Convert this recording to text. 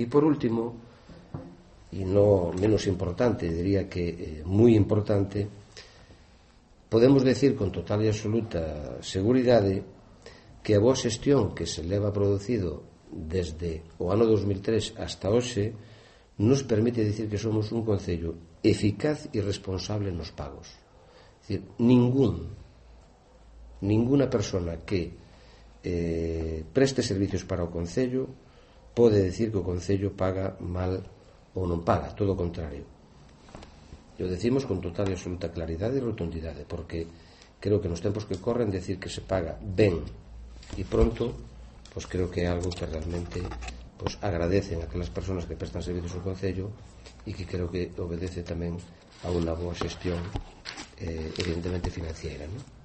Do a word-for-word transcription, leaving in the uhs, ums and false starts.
E por último, e non menos importante, diría que eh, moi importante, podemos decir con total e absoluta seguridade que a boa xestión que se leva producido desde o ano dos mil tres hasta hoxe nos permite dicir que somos un concello eficaz e responsable nos pagos. É dicir, ningún ninguna persona que eh, preste servicios para o concello pode decir que o concello paga mal ou non paga, todo o contrario. E o decimos con total e absoluta claridade e rotundidade, porque creo que nos tempos que corren decir que se paga ben e pronto, pois creo que é algo que realmente pois agradecen a aquelas persoas que prestan servicios ao concello e que creo que obedece tamén a unha boa xestión eh, evidentemente financiera, non?